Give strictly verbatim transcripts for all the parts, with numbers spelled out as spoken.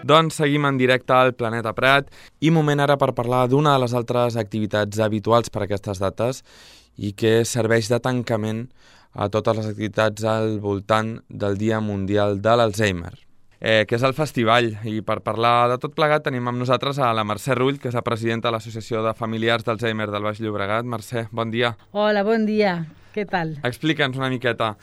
Doncs seguim en directe al Planeta Prat i moment ara per parlar d'una de les altres activitats habituals per a aquestes dates i que serveix de tancament a totes les activitats al voltant del Dia Mundial de l'Alzheimer, eh, que és el festival. I per parlar de tot plegat tenim amb nosaltres a la Mercè Rull, que és la presidenta de l'Associació de Familiars d'Alzheimer del Baix Llobregat. Mercè, bon dia. Hola, bon dia. Què tal? Explica'ns una miqueta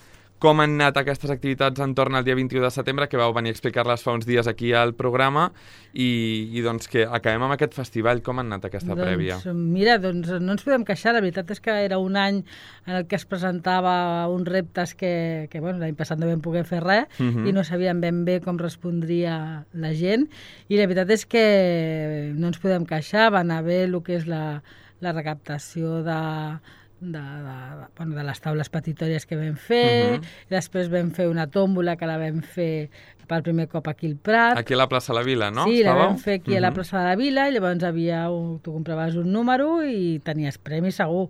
com han anat aquestes activitats entorn al dia vint-i-u de setembre, que vau venir a explicar-les fa uns dies aquí al programa, i, i doncs que acabem amb aquest festival. Com ha anat aquesta doncs, prèvia? Mira, doncs no ens podem queixar. La veritat és que era un any en el que es presentava uns reptes que, que bueno, l'any passat no vam poder fer res uh -huh. i no sabíem ben bé com respondria la gent, i la veritat és que no ens podem queixar. Va anar bé el que és la, la recaptació de... De, de, bueno, de les taules petitòries que vam fer, uh -huh. i després vam fer una tòmbola que la vam fer per primer cop aquí al Prat. Aquí a la plaça de la Vila, no? Sí, Estàveu? La vam fer aquí uh -huh. a la plaça de la Vila, i llavors havia un, tu compraves un número i tenies premi segur.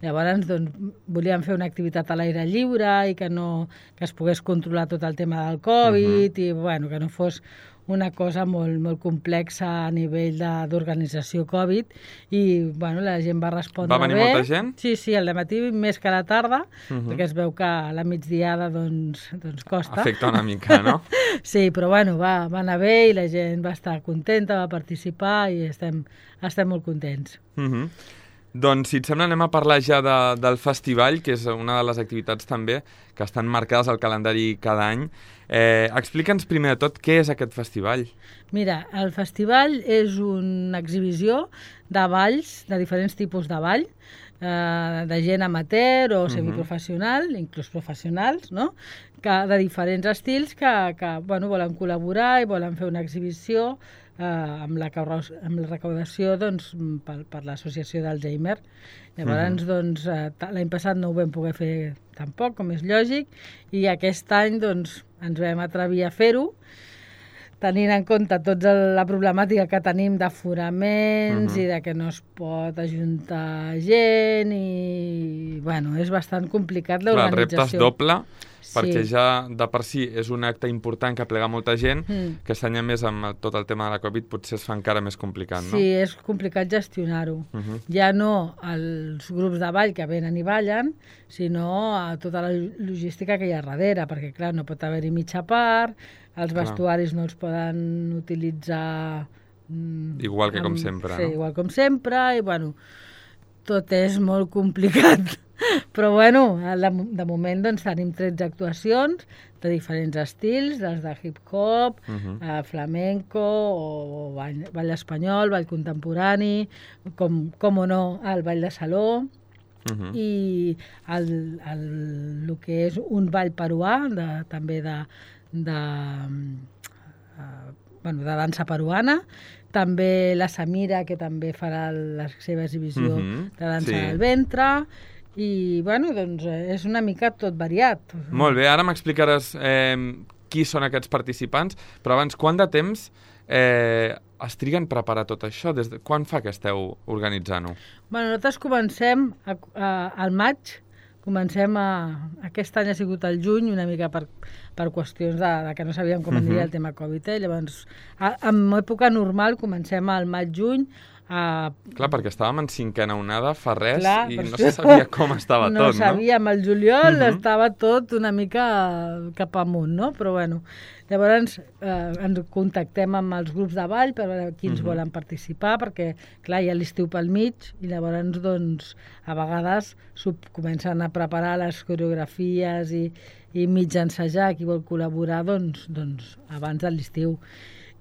Llavors, doncs, volíem fer una activitat a l'aire lliure i que no que es pogués controlar tot el tema del Covid, uh -huh. i bueno, que no fos una cosa molt, molt complexa a nivell d'organització Covid, i bueno, la gent va respondre bé. Va venir bé. molta gent? Sí, sí, al dematí més que a la tarda, uh -huh. perquè es veu que a la migdiada doncs, doncs costa. Afecta una mica, no? Sí, però bueno, va, va anar bé i la gent va estar contenta, va participar i estem, estem molt contents. Uh -huh. Doncs, si et sembla, anem a parlar ja de, del festival, que és una de les activitats també que estan marcades al calendari cada any. Eh, Explica'ns primer de tot què és aquest festival. Mira, el festival és una exhibició de balls, de diferents tipus de ball, eh, de gent amateur o semiprofessional, uh-huh. inclús professionals, no? Que, de diferents estils que, que bueno, volen col·laborar i volen fer una exhibició eh, amb, la, amb la recaudació doncs, per, per l'associació d'Alzheimer. Llavors, uh-huh. doncs, eh, l'any passat no ho vam poder fer tampoc, com és lògic, i aquest any doncs, ens vam atrevir a fer-ho, tenint en compte tota la problemàtica que tenim d'aforaments uh-huh. i de que no es pot ajuntar gent, i bueno, és bastant complicat l'organització. Clar, el repte és doble, sí. perquè ja de per si és un acte important que plega molta gent, mm. que s'anya més amb tot el tema de la Covid, potser es fa encara més complicat, no? Sí, és complicat gestionar-ho. Uh-huh. Ja no els grups de ball que venen i ballen, sinó a tota la logística que hi ha darrere, perquè clar, no pot haver-hi mitja part, els vestuaris no els poden utilitzar... Igual que amb, com sempre, sí, no? igual com sempre, i bueno, tot és molt complicat. Però bueno, de, de moment doncs, tenim tretze actuacions de diferents estils, des de hip-hop, uh-huh. eh, flamenco, o, o ball, ball espanyol, ball contemporani, com, com o no, el ball de saló, uh-huh. i el, el, el que és un ball peruà, de, també de... de uh, bueno, de dansa peruana, també la Samira, que també farà la seva exhibició uh-huh. de dansa sí. del ventre, i bueno, doncs és una mica tot variat. Molt bé, ara m'explicaràs eh, qui són aquests participants, però abans, quant de temps eh, es triguen a preparar tot això? Des de, quan fa que esteu organitzant-ho? Bueno, nosaltres comencem a, a, al maig, comencem a... Aquest any ha sigut el juny, una mica per, per qüestions de, de que no sabíem com aniria uh-huh. el tema Covid. Eh? Llavors, a, en època normal comencem al maig-juny. A... Clar, perquè estàvem en cinquena onada fa res. Clar, i no això... se sabia com estava no tot, no? No sabíem, el juliol uh-huh. estava tot una mica cap amunt, no? Però bueno, llavors eh, ens contactem amb els grups de ball per veure quins uh-huh. volen participar, perquè clar, hi ha l'estiu pel mig, i llavors doncs a vegades comencen a preparar les coreografies i, i mig ensejar qui vol col·laborar doncs, doncs abans de l'estiu.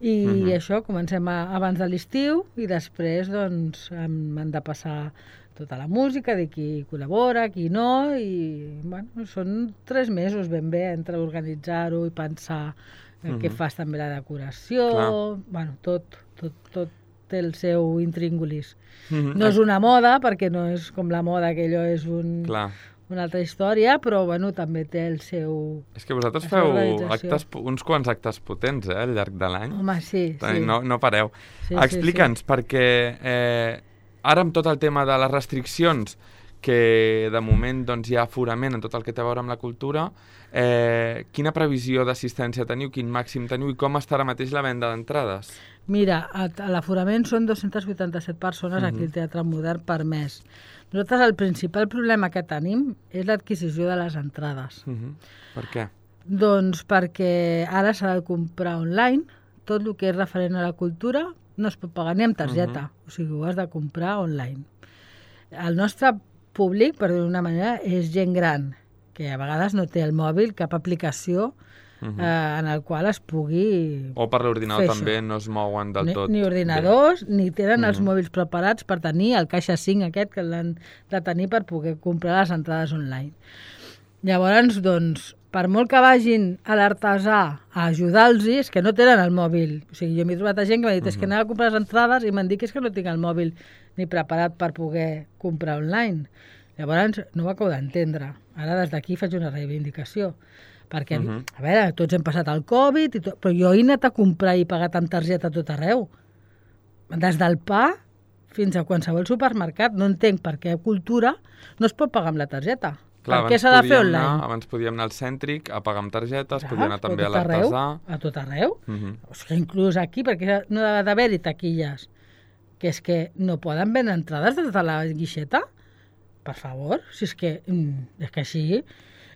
I uh-huh. això, comencem a, abans de l'estiu, i després doncs hem, hem de passar tota la música, de qui col·labora, qui no, i bueno, són tres mesos ben bé entre organitzar-ho i pensar uh-huh. què fas també la decoració, clar. Bueno, tot, tot, tot té el seu intríngulis. Uh-huh. No és una moda, perquè no és com la moda, que allò és un... Clar. Una altra història, però bueno, també té el seu... És que vosaltres feu actes, uns quants actes potents eh, al llarg de l'any. Home, sí, sí. No, no pareu. Sí, Explica'ns, sí, sí. perquè eh, ara amb tot el tema de les restriccions, que de moment doncs, hi ha aforament en tot el que té a veure amb la cultura. Eh, quina previsió d'assistència teniu, quin màxim teniu i com està ara mateix la venda d'entrades? Mira, a, a l'aforament són dos-cents vuitanta-set persones uh-huh. aquí al Teatre Modern per mes. Nosaltres el principal problema que tenim és l'adquisició de les entrades. Uh-huh. Per què? Doncs perquè ara s'ha de comprar online, tot el que és referent a la cultura no es pot pagar ni amb targeta, uh-huh. o sigui, ho has de comprar online. El nostre públic, per dir-ho d'una manera, és gent gran, que a vegades no té el mòbil, cap aplicació uh-huh. eh, en el qual es pugui O per l'ordinador també no es mouen del ni, tot. Ni ordinadors, bé. Ni tenen uh-huh. els mòbils preparats per tenir el caixa cinc aquest que l'han de tenir per poder comprar les entrades online. Llavors, doncs, per molt que vagin a l'artesà a ajudar-los, és que no tenen el mòbil. O sigui, jo m'he trobat a gent que m'ha dit uh-huh. és que anava a comprar les entrades i m'han dit que és que no tinc el mòbil ni preparat per poder comprar online. Llavors, no ho acabo d'entendre. Ara des d'aquí faig una reivindicació. Perquè, uh-huh. a veure, tots hem passat el Covid, i tot, però jo he anat a comprar i pagat amb targeta tot arreu. Des del pa fins a qualsevol supermercat. No entenc per què a cultura no es pot pagar amb la targeta. Clar, per què s'ha de fer online? Anar, abans podíem anar al cèntric a pagar amb targetes, Clar, podíem anar també a l'artesà. A tot arreu. Uh-huh. O sigui, inclús aquí, perquè no ha d'haver-hi taquilles. Que és que no poden vendre entrades des de la guixeta? Per favor, si és que, és que així,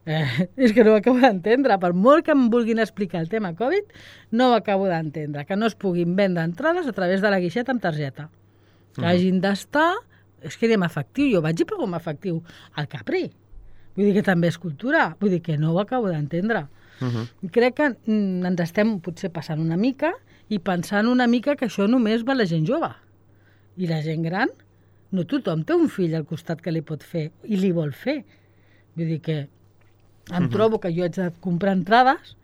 eh, és que no ho acabo d'entendre. Per molt que em vulguin explicar el tema Covid, no ho acabo d'entendre. Que no es puguin vendre entrades a través de la guixeta amb targeta. Que uh-huh. hagin d'estar, és que anem efectiu. Jo vaig i pago amb efectiu al Capri. Vull dir que també és cultura. Vull dir que no ho acabo d'entendre. Uh-huh. Crec que mm, ens estem potser passant una mica i pensant una mica que això només va a la gent jove. I la gent gran, no tothom té un fill al costat que li pot fer i li vol fer. Vull dir que em uh-huh. trobo que jo haig de comprar entrades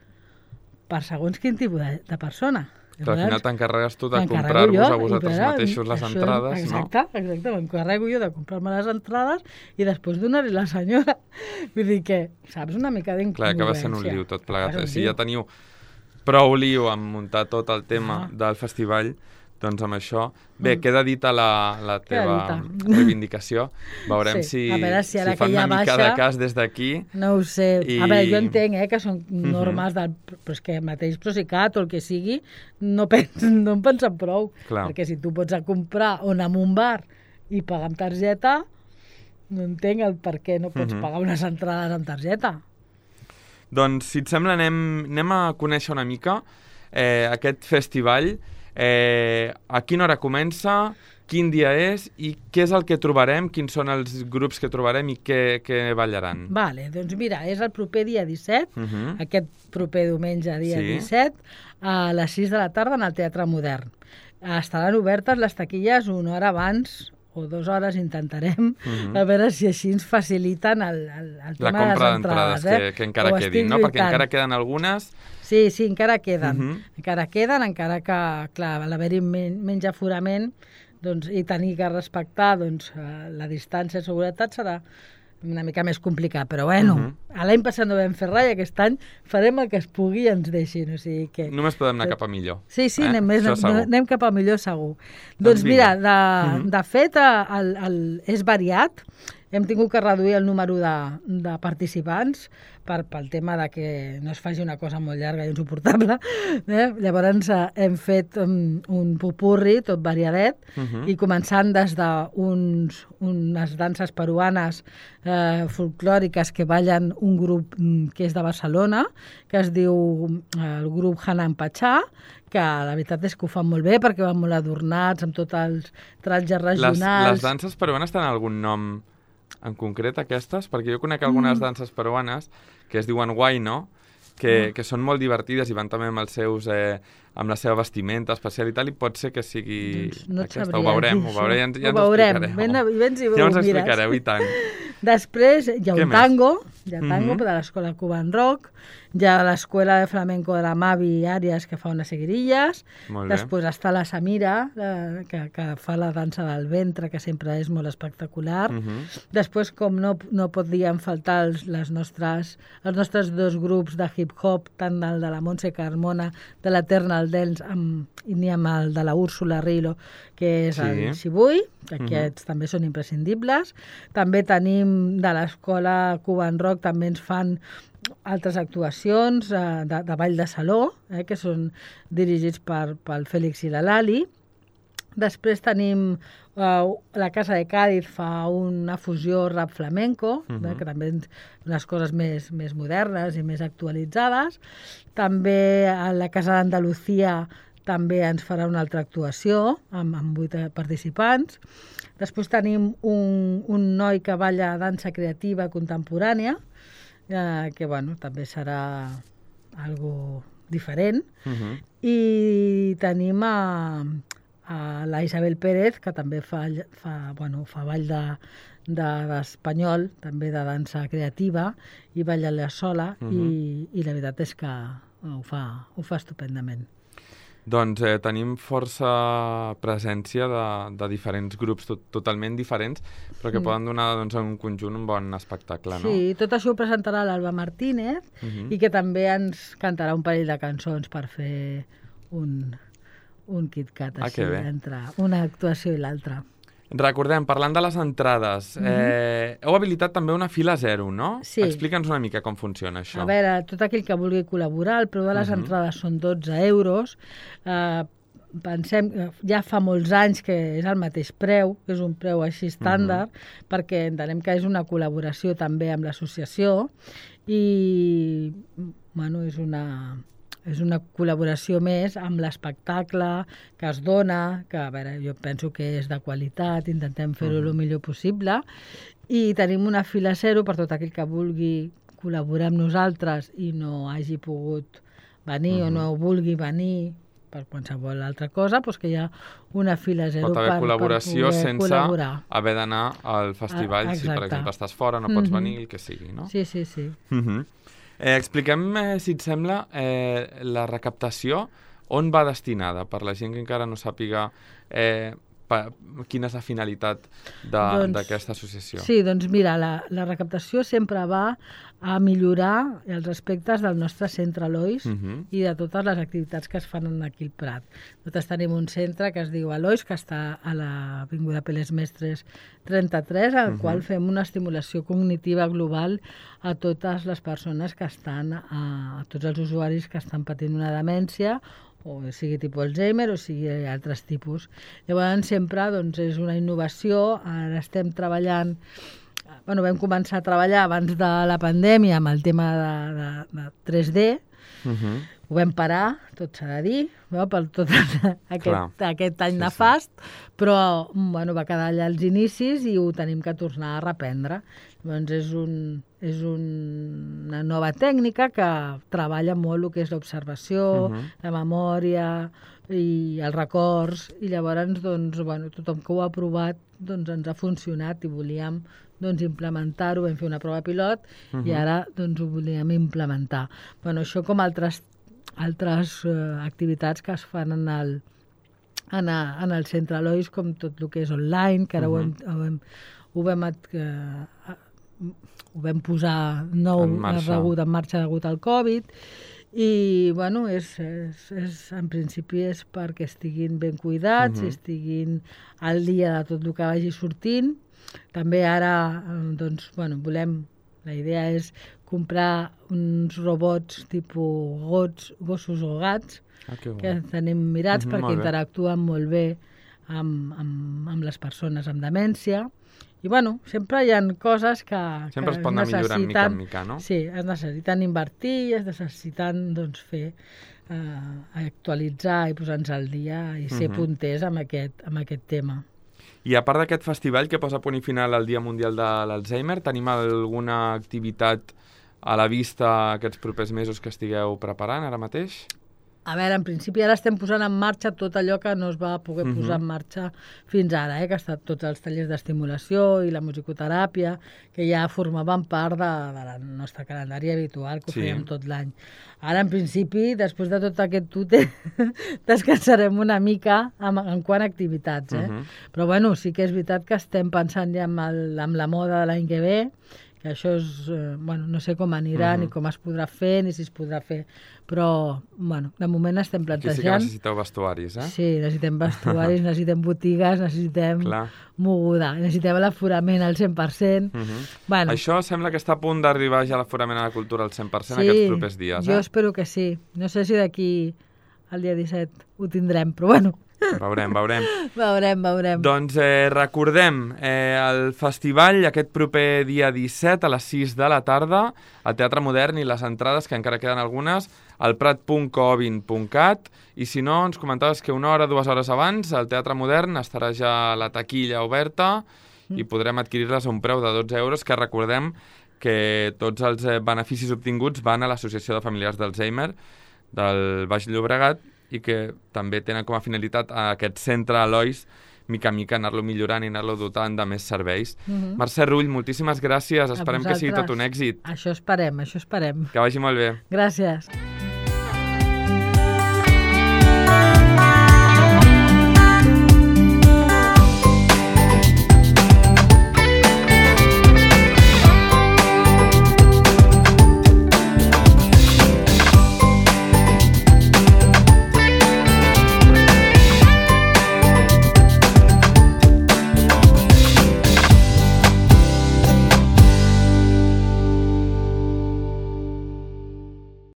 per segons quin tipus de, de persona. Que al final t'encarregues tu de comprar-vos a vosaltres però, mateixos les això, entrades, exacte, no? Exacte, exacte. M'encarrego jo de comprar-me les entrades i després donar-li la senyora. Vull dir que, saps, una mica d'incongruència. Clar, acaba sent un liu tot plegat. Si ja teniu prou liu amb muntar tot el tema ah. del festival, doncs amb això... Bé, mm. queda dita la, la teva reivindicació. Veurem sí. si, si, si fan una mica baixa, de cas des d'aquí. No ho sé. I... A veure, jo entenc eh, que són normes del... Però és que mateix Procicat o el que sigui no, pens, no en pensen prou. Clar. Perquè si tu pots a comprar o anar a un bar i pagar amb targeta, no entenc el per què no pots mm-hmm. pagar unes entrades amb targeta. Doncs, si et sembla, anem, anem a conèixer una mica eh, aquest festival. Eh, a quina hora comença, quin dia és i què és el que trobarem, quins són els grups que trobarem i què, què ballaran. Vale, doncs mira, és el proper dia disset, uh-huh. aquest proper diumenge dia sí. disset, a les sis de la tarda en el Teatre Modern. Estaran obertes les taquilles una hora abans o dues hores, intentarem, uh-huh. a veure si així ens faciliten el, el, el tema de les entrades. La compra d'entrades, eh? que, que encara quedin, no? Perquè encara queden algunes... Sí, sí, encara queden. Uh-huh. Encara queden, encara que, clar, a l'haver-hi men menys aforament doncs, i tenir que respectar doncs, la distància de seguretat serà una mica més complicat. Però bueno, uh-huh. l'any passat no vam fer res i aquest any farem el que es pugui i ens deixin. O sigui que... Només podem anar cap a millor. Sí, sí, eh? anem, més, anem cap a millor segur. Doncs, doncs mira, de, uh-huh. de fet, el, el, és variat. Hem tingut que reduir el número de, de participants per, pel tema de que no es faci una cosa molt llarga i insuportable. Eh? Llavors eh, hem fet um, un popurri tot variadet uh-huh. i començant des d'unes unes danses peruanes eh, folclòriques que ballen un grup um, que és de Barcelona, que es diu eh, el grup Hanan Pachá, que la veritat és que ho fan molt bé perquè van molt adornats amb tots els trajes regionals. Les, les danses peruanes tenen algun nom en concret aquestes? Perquè jo conec algunes mm. danses peruanes que es diuen Huayno, que, mm. que són molt divertides i van també amb els seus... Eh, amb la seva vestimenta especial i tal, i pot ser que sigui doncs no aquesta. Ho veurem, ho veurem, ja, ja ho veurem. ens Ben, ben si ja ens explicareu, i tant. Després hi ha Què un tango, més? hi ha tango mm-hmm. de l'escola Cuban Rock, Hi ha l'Escola de Flamenco de la Mavi Àries, que fa unes seguirilles. Després està la Samira, la, que, que fa la dansa del ventre, que sempre és molt espectacular. Uh-huh. Després, com no, no podien faltar els, les nostres, els nostres dos grups de hip-hop, tant el de la Montse Carmona, de l'Eternal Dance, amb, i ni amb el de la Úrsula Rilo, que és sí. el Xibui, que aquests uh-huh. també són imprescindibles. També tenim de l'escola Cuban Rock, també ens fan altres actuacions eh, de, de ball de saló, eh, que són dirigits per, pel Fèlix i la Lali. Després tenim eh, la Casa de Cádiz fa una fusió rap flamenco, uh-huh. eh, que també unes coses més, més modernes i més actualitzades. També a la Casa d'Andalucía també ens farà una altra actuació amb, amb vuit participants. Després tenim un, un noi que balla dansa creativa contemporània, eh, que bueno, també serà algo diferent. Uh-huh. I tenim a, a la Isabel Pérez, que també fa, fa, bueno, fa ball de, de, d'espanyol, també de dansa creativa, i balla la sola, uh-huh. i, i la veritat és que ho fa, ho fa estupendament. Doncs eh, tenim força presència de, de diferents grups tot, totalment diferents, però que mm. poden donar doncs, en un conjunt un bon espectacle, no? Sí, tot això ho presentarà l'Alba Martínez mm-hmm. i que també ens cantarà un parell de cançons per fer un, un KitKat així, ah, entre una actuació i l'altra. Recordem, parlant de les entrades, mm-hmm. eh, heu habilitat també una fila zero, no? Sí. Explica'ns una mica com funciona això. A veure, tot aquell que vulgui col·laborar, el preu de les mm-hmm. entrades són dotze euros. Eh, pensem, ja fa molts anys que és el mateix preu, que és un preu així estàndard, mm-hmm. perquè entenem que és una col·laboració també amb l'associació i, bueno, és una... és una col·laboració més amb l'espectacle que es dona, que a veure, jo penso que és de qualitat, intentem fer-ho uh-huh. el millor possible, i tenim una fila zero per tot aquell que vulgui col·laborar amb nosaltres i no hagi pogut venir uh-huh. o no vulgui venir per qualsevol altra cosa, doncs que hi ha una fila zero per, per col·laboració per poder sense col·laborar. Haver d'anar al festival, ah, si per exemple estàs fora, no pots uh-huh. venir, el que sigui, no? Sí, sí, sí. Uh-huh. Eh, expliquem, eh, si et sembla, eh, la recaptació, on va destinada, per la gent que encara no sàpiga eh, pa, quina és la finalitat d'aquesta doncs, associació. Sí, doncs mira, la, la recaptació sempre va a millorar els aspectes del nostre centre Lois uh-huh. i de totes les activitats que es fan aquí al Prat. Nosaltres tenim un centre que es diu Alois, que està a l'Avinguda Peles Mestres trenta-tres, al uh-huh. qual fem una estimulació cognitiva global a totes les persones que estan, a, a tots els usuaris que estan patint una demència, o sigui tipus Alzheimer o sigui altres tipus. Llavors sempre doncs, és una innovació, ara estem treballant, bueno, vam començar a treballar abans de la pandèmia amb el tema de, de, de tres D, uh-huh. ho vam parar, tot s'ha de dir, no? Per tot aquest, aquest any sí, nefast, sí. però bueno, va quedar allà als inicis i ho tenim que tornar a reprendre. Llavors és, un, és un, una nova tècnica que treballa molt el que és l'observació, uh-huh. la memòria i els records, i llavors doncs, bueno, tothom que ho ha provat doncs, ens ha funcionat i volíem doncs, implementar-ho, vam fer una prova pilot uh-huh. i ara doncs, ho volíem implementar. Bueno, això com altres, altres uh, activitats que es fan en el, en, a, en el centre Lois, com tot el que és online, que ara uh-huh. ho hem, ho hem, ho vam, uh, ho vam posar nou en marxa. Degut, en marxa degut al Covid, i bueno, és, és, és, en principi és perquè estiguin ben cuidats, uh-huh. estiguin al dia de tot el que vagi sortint. També ara doncs, bueno, volem, la idea és comprar uns robots tipus gots, gossos o gats, ah, que, que tenim mirats uh-huh, perquè molt interactuen molt bé amb, amb, amb les persones amb demència. I bueno, sempre hi ha coses que, sempre que es pot anar millorant mica en mica, no? Sí, es necessiten invertir, es necessiten doncs, fer, eh, actualitzar i posar-nos al dia i ser uh-huh. punters amb aquest, amb aquest tema. I a part d'aquest festival que posa punt i final al Dia Mundial de l'Alzheimer, tenim alguna activitat a la vista aquests propers mesos que estigueu preparant ara mateix? A veure, en principi ara estem posant en marxa tot allò que no es va poder Mhm. posar en marxa fins ara, eh? Que ha estat tots els tallers d'estimulació i la musicoteràpia, que ja formaven part de, de la nostra calendari habitual, que ho Sí. fèiem tot l'any. Ara, en principi, després de tot aquest tute, descansarem una mica en, en quant a activitats, eh? Mhm. Però, bueno, sí que és veritat que estem pensant ja en, el, en la moda de l'any que ve, que això és, eh, bueno, no sé com anirà, Mhm. ni com es podrà fer, ni si es podrà fer, però, bueno, de moment estem Aquí sí que plantejant... necessiteu vestuaris, eh? Sí, necessitem vestuaris, necessitem botigues, necessitem Clar. moguda, necessitem l'aforament al cent per cent. Mhm. Bueno, Això sembla que està a punt d'arribar ja a l'aforament a la cultura al cent per cent sí, aquests propers dies, jo eh? espero que sí. No sé si d'aquí al dia disset ho tindrem, però bueno, Veurem, veurem. veurem, veurem. Doncs eh, recordem eh, el festival aquest proper dia disset a les sis de la tarda al Teatre Modern i les entrades, que encara queden algunes, al prat punt covin punt cat, i si no, ens comentaves que una hora, dues hores abans el Teatre Modern estarà ja la taquilla oberta i podrem adquirir-les a un preu de dotze euros, que recordem que tots els eh, beneficis obtinguts van a l'Associació de Familiars d'Alzheimer del Baix Llobregat i que també tenen com a finalitat a aquest centre Elois, mica en mica anar-lo millorant i anar-lo dotant de més serveis. Mhm. Mercè Rull, moltíssimes gràcies. A Esperem que sigui tot vosaltres. un èxit. Això esperem, això esperem. Que vagi molt bé. Gràcies.